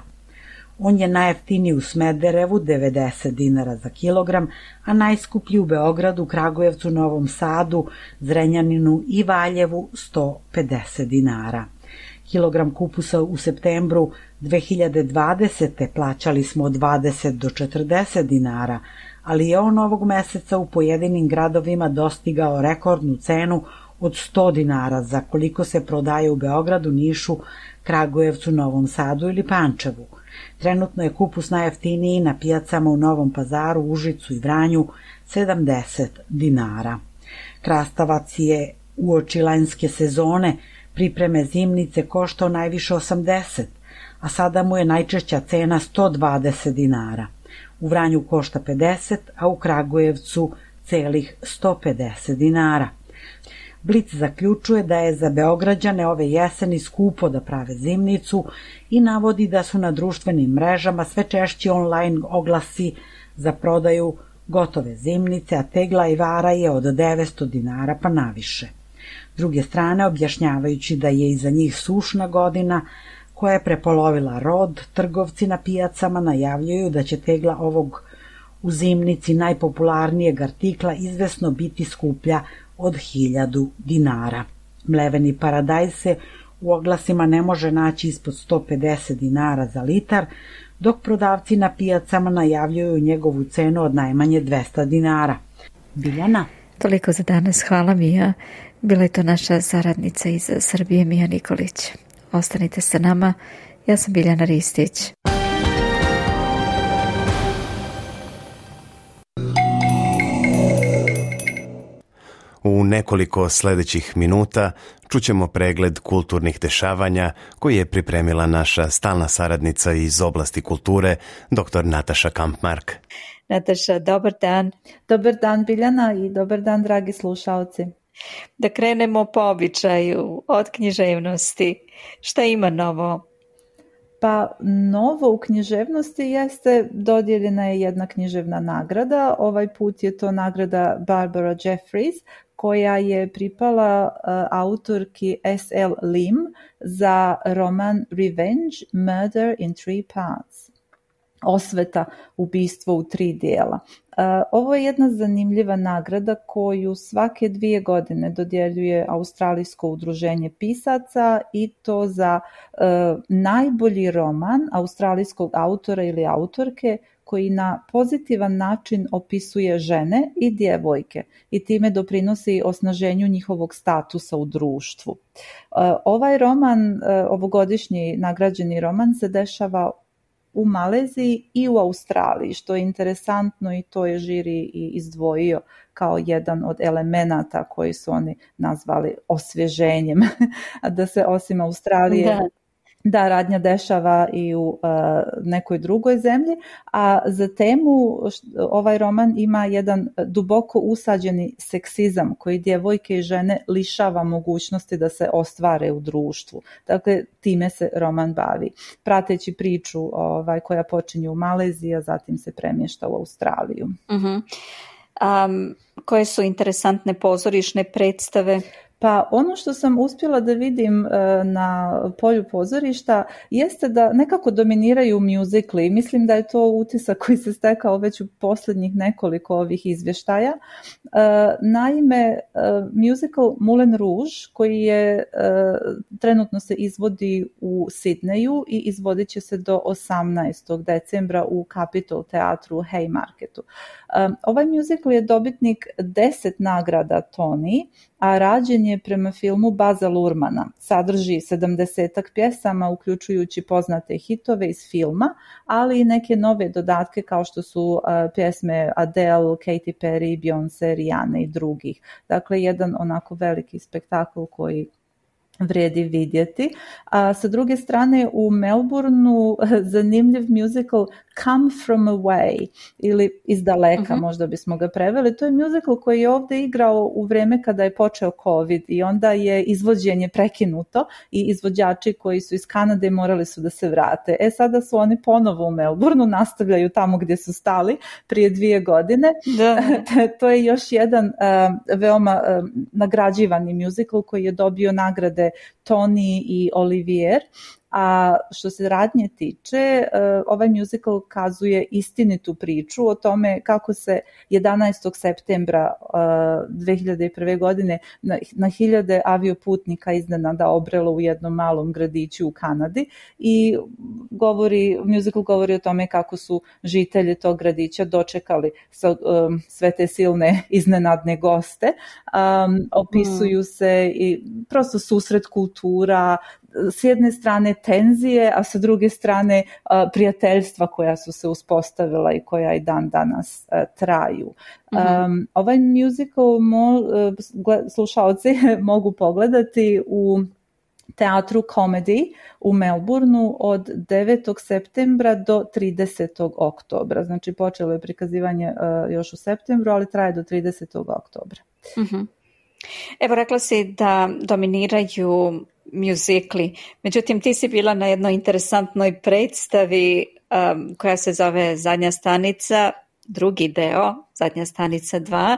On je najjeftiniji u Smederevu, 90 dinara za kilogram, a najskuplji u Beogradu, Kragujevcu, Novom Sadu, Zrenjaninu i Valjevu 150 dinara. Kilogram kupusa u septembru 2020. plaćali smo od 20 do 40 dinara, ali je on ovog meseca u pojedinim gradovima dostigao rekordnu cenu od 100 dinara za koliko se prodaje u Beogradu, Nišu, Kragujevcu, Novom Sadu ili Pančevu. Trenutno je kupus najjeftiniji na pijacama u Novom Pazaru, Užicu i Vranju 70 dinara. Krastavac je uoči lanjske sezone pripreme zimnice koštao najviše 80, a sada mu je najčešća cena 120 dinara. U Vranju košta 50, a u Kragujevcu celih 150 dinara. Blic zaključuje da je za Beograđane ove jeseni skupo da prave zimnicu i navodi da su na društvenim mrežama sve češći online oglasi za prodaju gotove zimnice, a tegla ajvara je od 900 dinara pa naviše. S druge strane, objašnjavajući da je iza njih sušna godina koja je prepolovila rod, trgovci na pijacama najavljuju da će tegla ovog u zimnici najpopularnijeg artikla izvesno biti skuplja od 1000 dinara. Mleveni paradajz se u oglasima ne može naći ispod 150 dinara za litar, dok prodavci na pijacama najavljuju njegovu cenu od najmanje 200 dinara. Biljana? Toliko za danas, hvala Mija. Bila je to naša saradnica iz Srbije, Mija Nikolić. Ostanite sa nama, ja sam Biljana Ristić. U nekoliko sljedećih minuta čućemo pregled kulturnih dešavanja koji je pripremila naša stalna saradnica iz oblasti kulture, dr. Nataša Kampmark. Nataša, dobar dan. Dobar dan Biljana i dobar dan dragi slušalci. Da krenemo po običaju od književnosti. Šta ima novo? Pa novo u književnosti jeste dodijeljena je jedna književna nagrada. Ovaj put je to nagrada Barbara Jeffries koja je pripala autorki S.L. Lim za roman Revenge, Murder in Three Parts. Osveta, ubistvo u 3 dijela. Ovo je jedna zanimljiva nagrada koju svake 2 godine dodjeljuje Australijsko udruženje pisaca i to za najbolji roman australijskog autora ili autorke koji na pozitivan način opisuje žene i djevojke i time doprinosi osnaženju njihovog statusa u društvu. Ovaj roman, ovogodišnji nagrađeni roman, se dešava u Maleziji i u Australiji, što je interesantno i to je žiri i izdvojio kao jedan od elemenata koji su oni nazvali osvježenjem, da se osim Australije da radnja dešava i u nekoj drugoj zemlji, a za temu ovaj roman ima jedan duboko usađeni seksizam koji djevojke i žene lišava mogućnosti da se ostvare u društvu. Dakle, time se roman bavi, prateći priču koja počinje u Maleziji, a zatim se premješta u Australiju. Koje su interesantne pozorišne predstave? Pa ono što sam uspjela da vidim na polju pozorišta jeste da nekako dominiraju mjuzikli. Mislim da je to utisak koji se stekao već u posljednjih nekoliko ovih izvještaja. Naime, mjuzikl Moulin Rouge koji je trenutno se izvodi u Sidneju i izvodit će se do 18. decembra u Capitol teatru u Haymarketu. Ovaj mjuzikl je dobitnik 10 nagrada Tony, a rađen je prema filmu Baza Luhrmana. Sadrži 70-ak pjesama, uključujući poznate hitove iz filma, ali i neke nove dodatke kao što su pjesme Adele, Katy Perry, Beyoncé, Rihanna i drugih. Dakle, jedan onako veliki spektakl koji vrijedi vidjeti. A sa druge strane u Melbourneu zanimljiv musical Come From Away ili Iz daleka, možda bismo ga preveli. To je musical koji je ovdje igrao u vrijeme kada je počeo COVID i onda je izvođenje prekinuto i izvođači koji su iz Kanade morali su da se vrate. Sada su oni ponovo u Melbourneu, nastavljaju tamo gdje su stali prije 2 godine. To je još jedan veoma nagrađivani musical koji je dobio nagrade Tony i Olivier. A što se radnje tiče, ovaj musical kazuje istinitu priču o tome kako se 11. septembra 2001. godine na hiljade avioputnika iznenada obrelo u jednom malom gradiću u Kanadi i musical govori o tome kako su žitelji tog gradića dočekali sve te silne iznenadne goste. Opisuju se i prosto susret kultura, s jedne strane tenzije, a sa druge strane prijateljstva koja su se uspostavila i koja i dan danas traju. Ovaj musical slušaoci mogu pogledati u teatru Comedy u Melbourneu od 9. septembra do 30. oktobra. Znači počelo je prikazivanje još u septembru, ali traje do 30. oktobra. Evo, rekla si da dominiraju mjuzikli. Međutim, ti si bila na jednoj interesantnoj predstavi koja se zove Zadnja stanica, drugi deo, Zadnja stanica 2,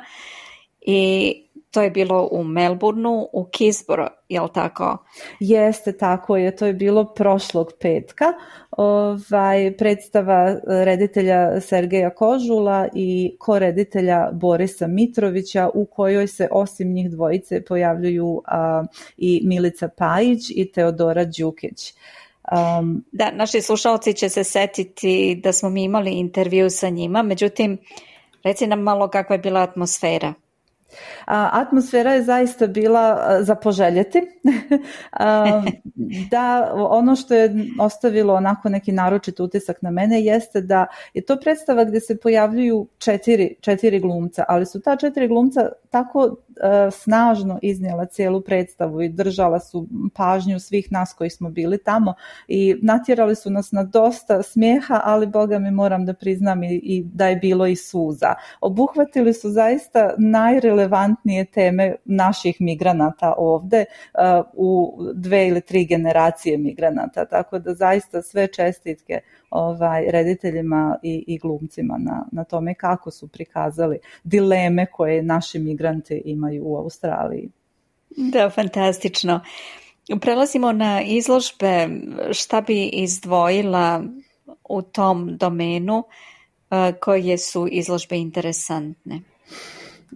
i to je bilo u Melbourneu, u Keysborough, je li tako? Jeste, tako je, to je bilo prošlog petka. Predstava reditelja Sergeja Kožula i koreditelja Borisa Mitrovića, u kojoj se osim njih dvojice pojavljuju i Milica Pajić i Teodora Đukić. Da, naši slušalci će se setiti da smo mi imali intervju sa njima, međutim, reci nam malo kakva je bila atmosfera. Atmosfera je zaista bila za poželjeti. Da, ono što je ostavilo onako neki naročit utisak na mene jeste da je to predstava gdje se pojavljuju četiri glumca, ali su ta 4 glumca tako snažno iznijela cijelu predstavu i držala su pažnju svih nas koji smo bili tamo i natjerali su nas na dosta smijeha, ali Boga mi moram da priznam i da je bilo i suza. Obuhvatili su zaista najrelevantnije teme naših migranata ovdje u 2 ili 3 generacije migranata, tako da zaista sve čestitke rediteljima i glumcima na tome kako su prikazali dileme koje naši migranti imaju u Australiji. Da, fantastično. Prelazimo na izložbe. Šta bi izdvojila u tom domenu, koje su izložbe interesantne?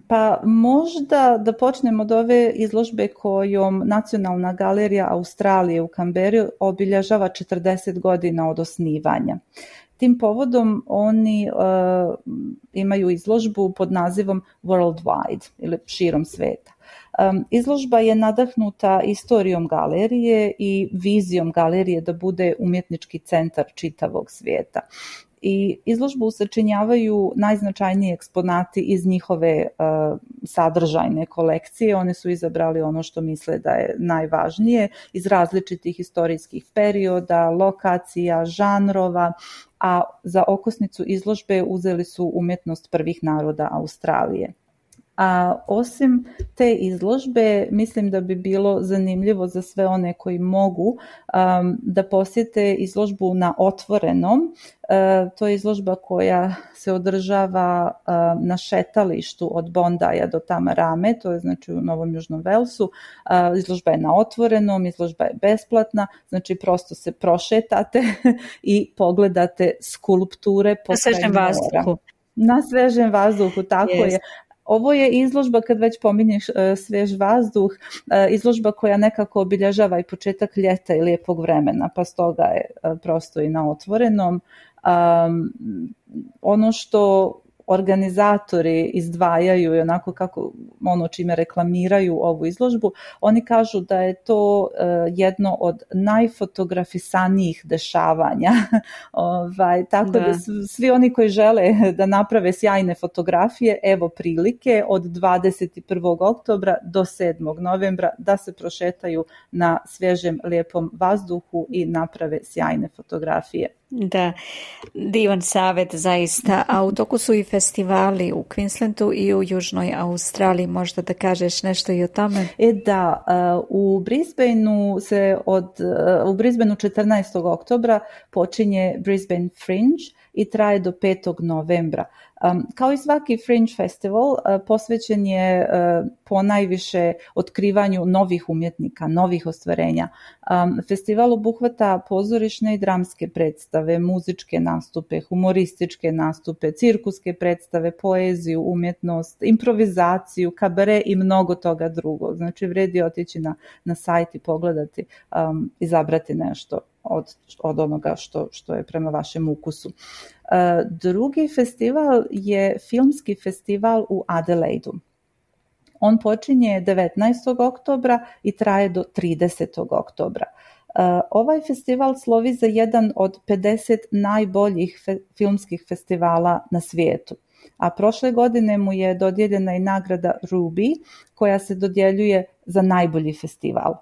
Pa možda da počnemo od ove izložbe kojom Nacionalna galerija Australije u Canberri obilježava 40 godina od osnivanja. Tim povodom oni imaju izložbu pod nazivom Worldwide ili širom sveta. Izložba je nadahnuta istorijom galerije i vizijom galerije da bude umjetnički centar čitavog svijeta. I izložbu sačinjavaju najznačajniji eksponati iz njihove sadržajne kolekcije. Oni su izabrali ono što misle da je najvažnije iz različitih istorijskih perioda, lokacija, žanrova, a za okosnicu izložbe uzeli su umjetnost prvih naroda Australije. A osim te izložbe, mislim da bi bilo zanimljivo za sve one koji mogu da posjete izložbu na otvorenom. To je izložba koja se održava na šetalištu od Bondaja do Tamarame, to je znači u Novom Južnom Velsu. Izložba je na otvorenom, izložba je besplatna, znači prosto se prošetate i pogledate skulpture po svežem vazduhu. Na svežem vazduhu, tako je. Ovo je izložba, kad već pominješ svež vazduh, izložba koja nekako obilježava i početak ljeta i lijepog vremena, pa stoga je prosto i na otvorenom. Ono što organizatori izdvajaju i onako kako ono čime reklamiraju ovu izložbu, oni kažu da je to jedno od najfotografisanijih dešavanja. Tako da svi oni koji žele da naprave sjajne fotografije, evo prilike od 21. oktobra do 7. novembra da se prošetaju na svježem lijepom vazduhu i naprave sjajne fotografije. Da, divan savjet zaista, a u toku su i festivali u Queenslandu i u Južnoj Australiji, možda da kažeš nešto i o tome? Da, u Brisbaneu 14. oktobra počinje Brisbane Fringe i traje do 5. novembra. Kao i svaki Fringe festival, posvećen je ponajviše otkrivanju novih umjetnika, novih ostvarenja. Festival obuhvata pozorišne i dramske predstave, muzičke nastupe, humorističke nastupe, cirkuske predstave, poeziju, umjetnost, improvizaciju, kabare i mnogo toga drugog. Znači, vredi otići na sajt i pogledati, izabrati nešto od onoga što je prema vašem ukusu. Drugi festival je filmski festival u Adelaidu. On počinje 19. oktobra i traje do 30. oktobra. Ovaj festival slovi za jedan od 50 najboljih filmskih festivala na svijetu. A prošle godine mu je dodijeljena i nagrada Ruby, koja se dodjeljuje za najbolji festival.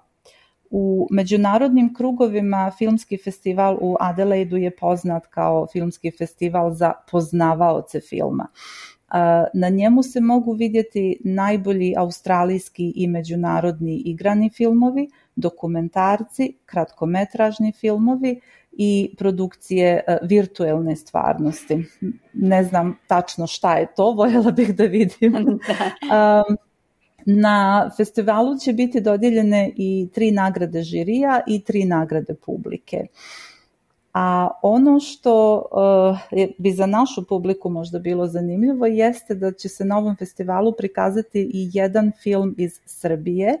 U međunarodnim krugovima filmski festival u Adelaidu je poznat kao filmski festival za poznavaoce filma. Na njemu se mogu vidjeti najbolji australijski i međunarodni igrani filmovi, dokumentarci, kratkometražni filmovi i produkcije virtuelne stvarnosti. Ne znam tačno šta je to, voljela bih da vidim. Na festivalu će biti dodijeljene i 3 nagrade žirija i 3 nagrade publike. A ono što bi za našu publiku možda bilo zanimljivo jeste da će se na ovom festivalu prikazati i jedan film iz Srbije.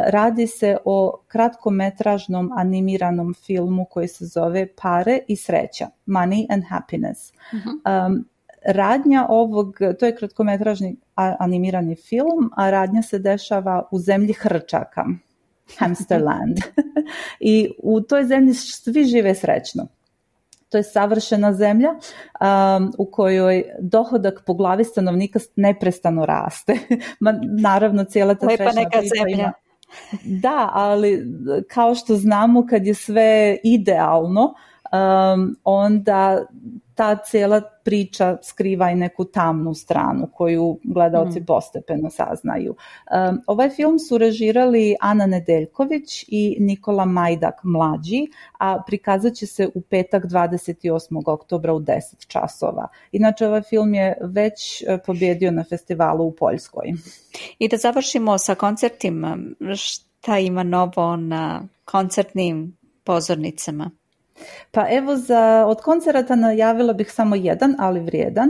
Radi se o kratkometražnom animiranom filmu koji se zove Pare i sreća, Money and Happiness. Radnja to je kratkometražni animirani film, a radnja se dešava u zemlji hrčaka, Hamsterland. I u toj zemlji svi žive srećno. To je savršena zemlja u kojoj dohodak po glavi stanovnika neprestano raste. Naravno, cijela ta srećna priča ima... Da, ali kao što znamo, kad je sve idealno, onda ta cijela priča skriva i neku tamnu stranu koju gledaoci postepeno saznaju. Ovaj film su režirali Ana Nedeljković i Nikola Majdak mlađi, a prikazat će se u petak 28. oktobra u 10 časova. Inače, ovaj film je već pobjedio na festivalu u Poljskoj. I da završimo sa koncertima, šta ima novo na koncertnim pozornicama? Pa evo, od koncerata najavila bih samo jedan, ali vrijedan.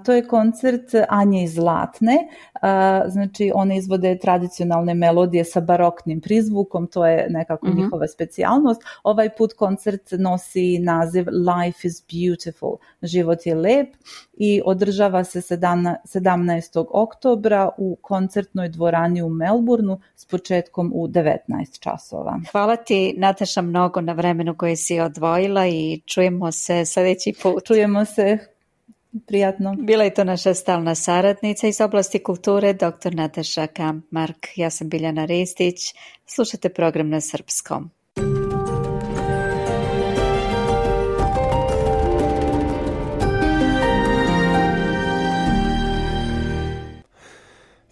To je koncert Anje i Zlatne. Znači, one izvode tradicionalne melodije sa baroknim prizvukom, to je nekako njihova specijalnost. Ovaj put koncert nosi naziv Life is Beautiful, život je lep, i održava se 17. oktobra u koncertnoj dvorani u Melbourneu s početkom u 19 časova. Hvala ti, Nataša, mnogo na vremenu koje si odvojila i čujemo se sljedeći put. Čujemo se. Prijatno. Bila je to naša stalna saradnica iz oblasti kulture, dr. Nataša Kampmark. Ja sam Biljana Ristić. Slušate program na srpskom.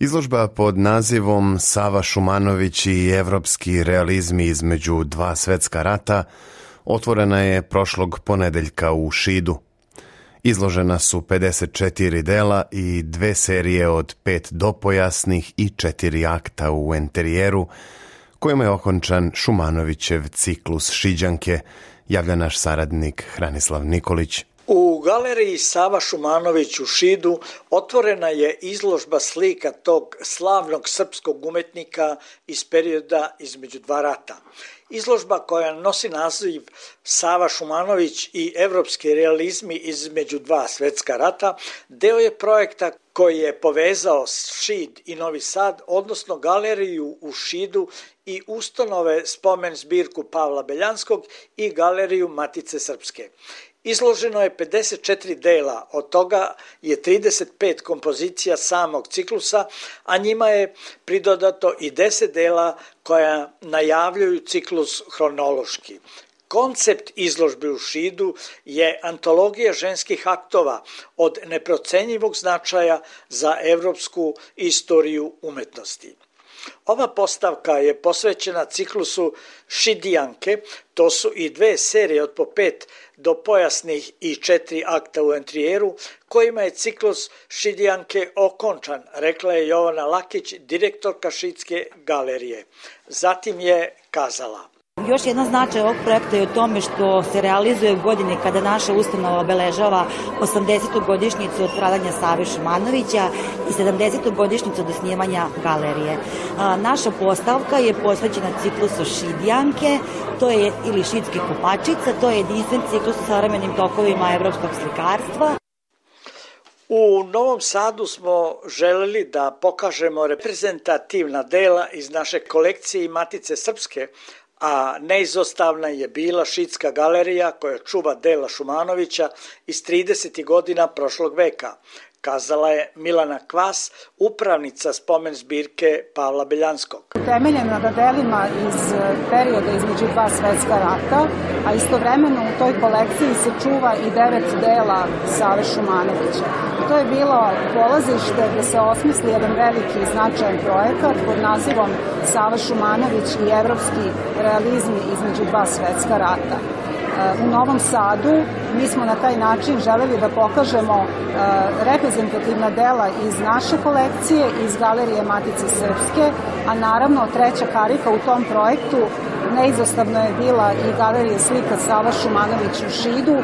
Izložba pod nazivom Sava Šumanović i evropski realizmi između dva svetska rata otvorena je prošlog ponedeljka u Šidu. Izložena su 54 dela i 2 serije od 5 dopojasnih i 4 akta u enterijeru, kojima je okončan Šumanovićev ciklus Šiđanke, javlja naš saradnik Hranislav Nikolić. U galeriji Sava Šumanović u Šidu otvorena je izložba slika tog slavnog srpskog umetnika iz perioda između dva rata. Izložba koja nosi naziv Sava Šumanović i evropski realizmi između dva svetska rata deo je projekta koji je povezao Šid i Novi Sad, odnosno galeriju u Šidu i ustanove spomen zbirku Pavla Beljanskog i galeriju Matice Srpske. Izloženo je 54 dela, od toga je 35 kompozicija samog ciklusa, a njima je pridodato i 10 dela koja najavljuju ciklus hronološki. Koncept izložbe u Šidu je antologija ženskih aktova od neprocenjivog značaja za evropsku istoriju umetnosti. Ova postavka je posvećena ciklusu Šidijanke, to su i 2 serije od po 5 dopojasnih i 4 akta u enterijeru, kojima je ciklus Šidijanke okončan, rekla je Jovana Lakić, direktorka Šidske galerije. Zatim je kazala: Još jedan značaj ovog projekta je u tome što se realizuje u godini kada naša ustanova obeležava 80. godišnjicu od stradanja Save Šumanovića i 70. godišnjicu od osnivanja galerije. Naša postavka je posvećena ciklusu Šidijanke, to je ili Šidskih kupačica, to je jedinstven ciklus u savremenim tokovima evropskog slikarstva. U Novom Sadu smo želeli da pokažemo reprezentativna dela iz naše kolekcije i Matice Srpske, a neizostavna je bila Šidska galerija koja čuva dela Šumanovića iz 30. godina prošlog veka, kazala je Milana Kvas, upravnica spomen zbirke Pavla Beljanskog. Utemeljena na delima iz perioda između dva svetska rata, a istovremeno u toj kolekciji se čuva i 9 dela Save Šumanovića. To je bilo polazište gde se osmisli jedan veliki i značajan projekat pod nazivom Sava Šumanović i evropski realizmi između dva svetska rata. U Novom Sadu mi smo na taj način želeli da pokažemo reprezentativna dela iz naše kolekcije, iz galerije Matice Srpske, a naravno treća karika u tom projektu neizostavno je bila i galerija slika Sava Šumanović u Šidu.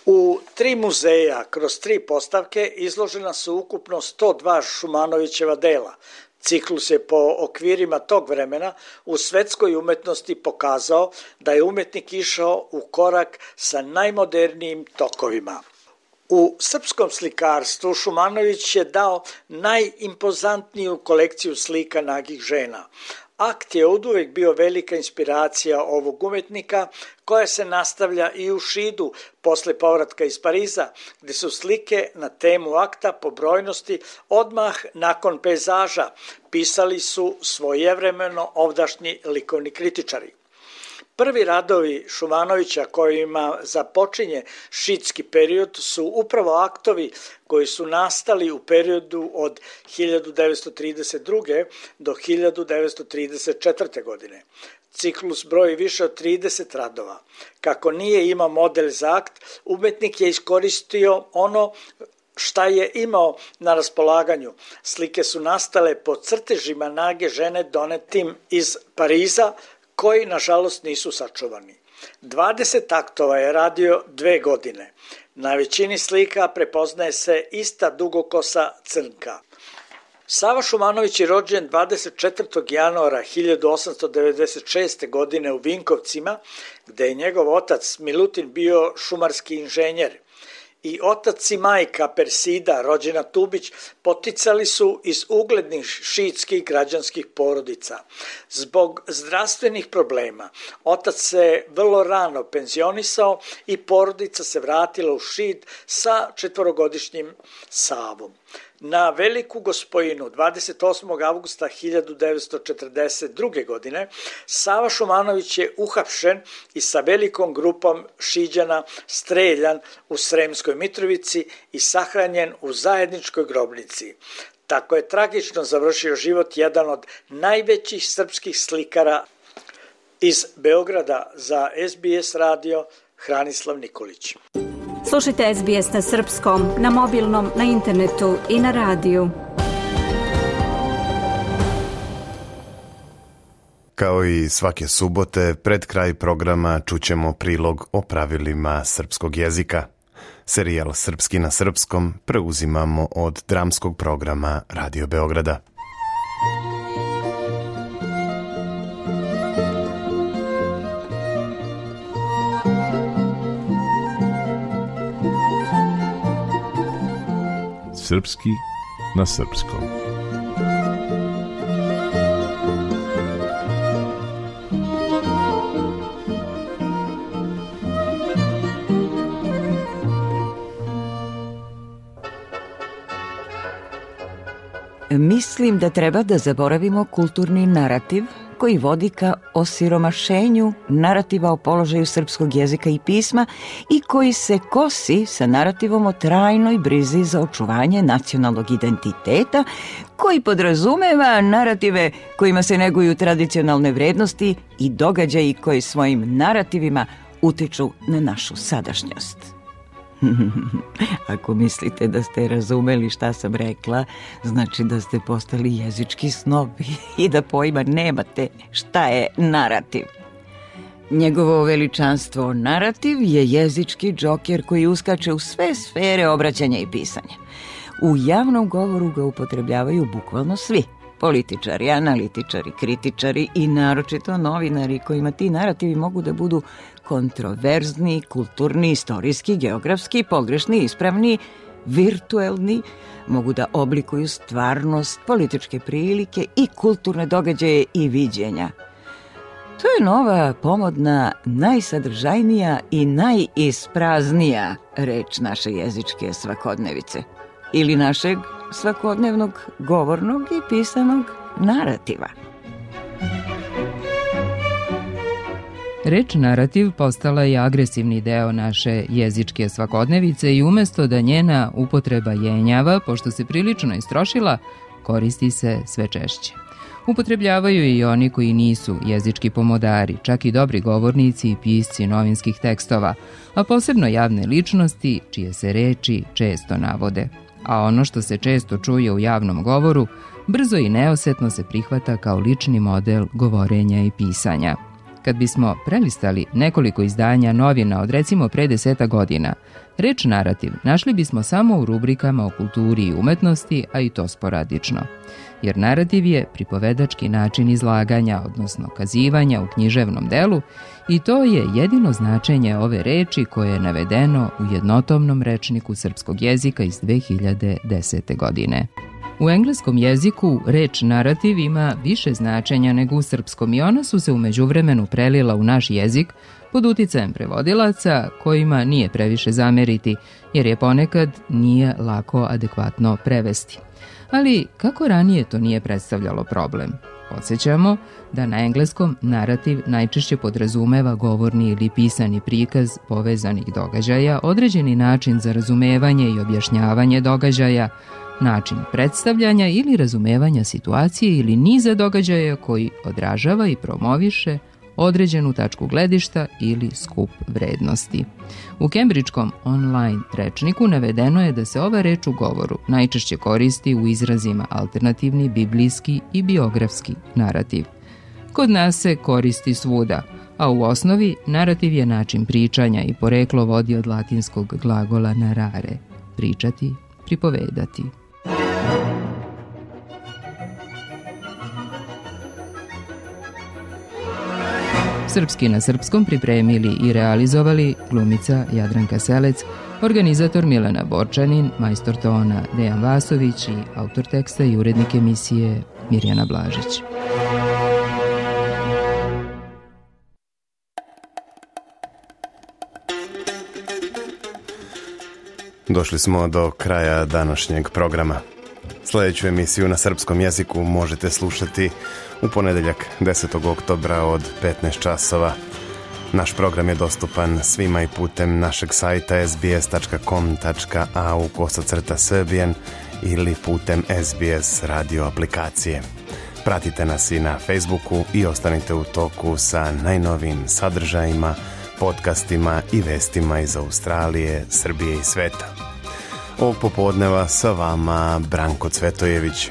U 3 muzeja kroz 3 postavke izložena su ukupno 102 Šumanovićeva dela. Ciklus je po okvirima tog vremena u svetskoj umetnosti pokazao da je umetnik išao u korak sa najmodernijim tokovima. U srpskom slikarstvu Šumanović je dao najimpozantniju kolekciju slika nagih žena. Akt je oduvek bio velika inspiracija ovog umetnika, koja se nastavlja i u Šidu posle povratka iz Pariza, gde su slike na temu akta po brojnosti odmah nakon pejzaža pisali su svojevremeno ovdašnji likovni kritičari. Prvi radovi Šumanovića kojima započinje šidski period su upravo aktovi koji su nastali u periodu od 1932. do 1934. godine. Ciklus broji više od 30 radova. Kako nije imao model za akt, umetnik je iskoristio ono šta je imao na raspolaganju. Slike su nastale po crtežima nage žene donetim iz Pariza, koji nažalost nisu sačuvani. 20 aktova je radio 2 godine. Na većini slika prepoznaje se ista dugokosa crnka. Sava Šumanović je rođen 24. januara 1896. godine u Vinkovcima, gde je njegov otac Milutin bio šumarski inženjer. I otac i majka Persida, rođena Tubić, poticali su iz uglednih šiitskih građanskih porodica. Zbog zdravstvenih problema, otac se vrlo rano penzionisao i porodica se vratila u Šid sa 4-godišnjim Savom. Na Veliku Gospojinu 28. avgusta 1942. godine Sava Šumanović je uhapšen i sa velikom grupom Šiđana streljan u Sremskoj Mitrovici i sahranjen u zajedničkoj grobnici. Tako je tragično završio život jedan od najvećih srpskih slikara. Iz Beograda za SBS radio Hranislav Nikolić. Slušajte SBS na srpskom, na mobilnom, na internetu i na radiju. Kao i svake subote, pred kraj programa čućemo prilog o pravilima srpskog jezika. Serijal Srpski na srpskom preuzimamo od dramskog programa Radio Beograda. Srpski na srpskom. Mislim da treba da zaboravimo kulturni narativ koji vodi ka osiromašenju narativa o položaju srpskog jezika i pisma i koji se kosi sa narativom o trajnoj brizi za očuvanje nacionalnog identiteta, koji podrazumeva narative kojima se neguju tradicionalne vrednosti i događaji koji svojim narativima utiču na našu sadašnjost. Ako mislite da ste razumeli šta sam rekla, znači da ste postali jezički snobi i da pojma nemate šta je narativ. Njegovo veličanstvo narativ je jezički džoker koji uskače u sve sfere obraćanja i pisanja. U javnom govoru ga upotrebljavaju bukvalno svi. Političari, analitičari, kritičari i naročito novinari kojima ti narativi mogu da budu kontroverzni, kulturni, istorijski, geografski, pogrešni, ispravni, virtuelni, mogu da oblikuju stvarnost, političke prilike i kulturne događaje i viđenja. To je nova, pomodna, najsadržajnija i najispraznija reč naše jezičke svakodnevice ili našeg svakodnevnog govornog i pisanog narativa. Reč narativ postala je agresivni deo naše jezičke svakodnevice i umesto da njena upotreba jenjava, pošto se prilično istrošila, koristi se sve češće. Upotrebljavaju i oni koji nisu jezički pomodari, čak i dobri govornici i pisci novinskih tekstova, a posebno javne ličnosti čije se reči često navode. A ono što se često čuje u javnom govoru, brzo i neosetno se prihvata kao lični model govorenja i pisanja. Kad bismo prelistali nekoliko izdanja novina od recimo pre 10 godina, reč narativ našli bismo samo u rubrikama o kulturi i umetnosti, a i to sporadično. Jer narativ je pripovedački način izlaganja, odnosno kazivanja u književnom delu, i to je jedino značenje ove reči koje je navedeno u jednotomnom rečniku srpskog jezika iz 2010. godine. U engleskom jeziku reč narativ ima više značenja nego u srpskom i ona su se u međuvremenu prelila u naš jezik pod uticajem prevodilaca kojima nije previše zameriti jer je ponekad nije lako adekvatno prevesti. Ali kako ranije to nije predstavljalo problem? Podsjećamo da na engleskom narativ najčešće podrazumeva govorni ili pisani prikaz povezanih događaja, određeni način za razumevanje i objašnjavanje događaja, način predstavljanja ili razumevanja situacije ili niza događaja koji odražava i promoviše određenu tačku gledišta ili skup vrednosti. U Cambridgeskom online rečniku navedeno je da se ova reč u govoru najčešće koristi u izrazima alternativni, biblijski i biografski narativ. Kod nas se koristi svuda, a u osnovi narativ je način pričanja i poreklo vodi od latinskog glagola narare, pričati, pripovedati. Srpski na srpskom pripremili i realizovali glumica Jadranka Selec, organizator Milena Borčanin, majstor tona Dejan Vasović i autor teksta i urednik emisije Mirjana Blažić. Došli smo do kraja današnjeg programa. Sljedeću emisiju na srpskom jeziku možete slušati u ponedeljak 10. oktobra od 15 časova. Naš program je dostupan svima i putem našeg sajta sbs.com.au/srbijan ili putem SBS radio aplikacije. Pratite nas i na Facebooku i ostanite u toku sa najnovijim sadržajima, podcastima i vestima iz Australije, Srbije i sveta. Ovog popodneva sa vama Branko Cvetojević.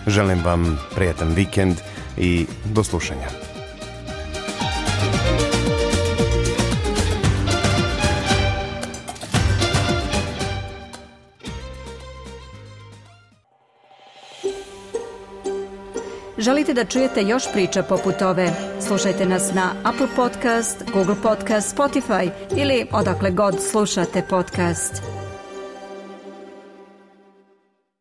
Želim vam prijatan vikend i do slušanja. Želite da čujete još priča poput ove? Slušajte nas na Apple Podcast, Google Podcast, Spotify ili odakle god slušate podcast.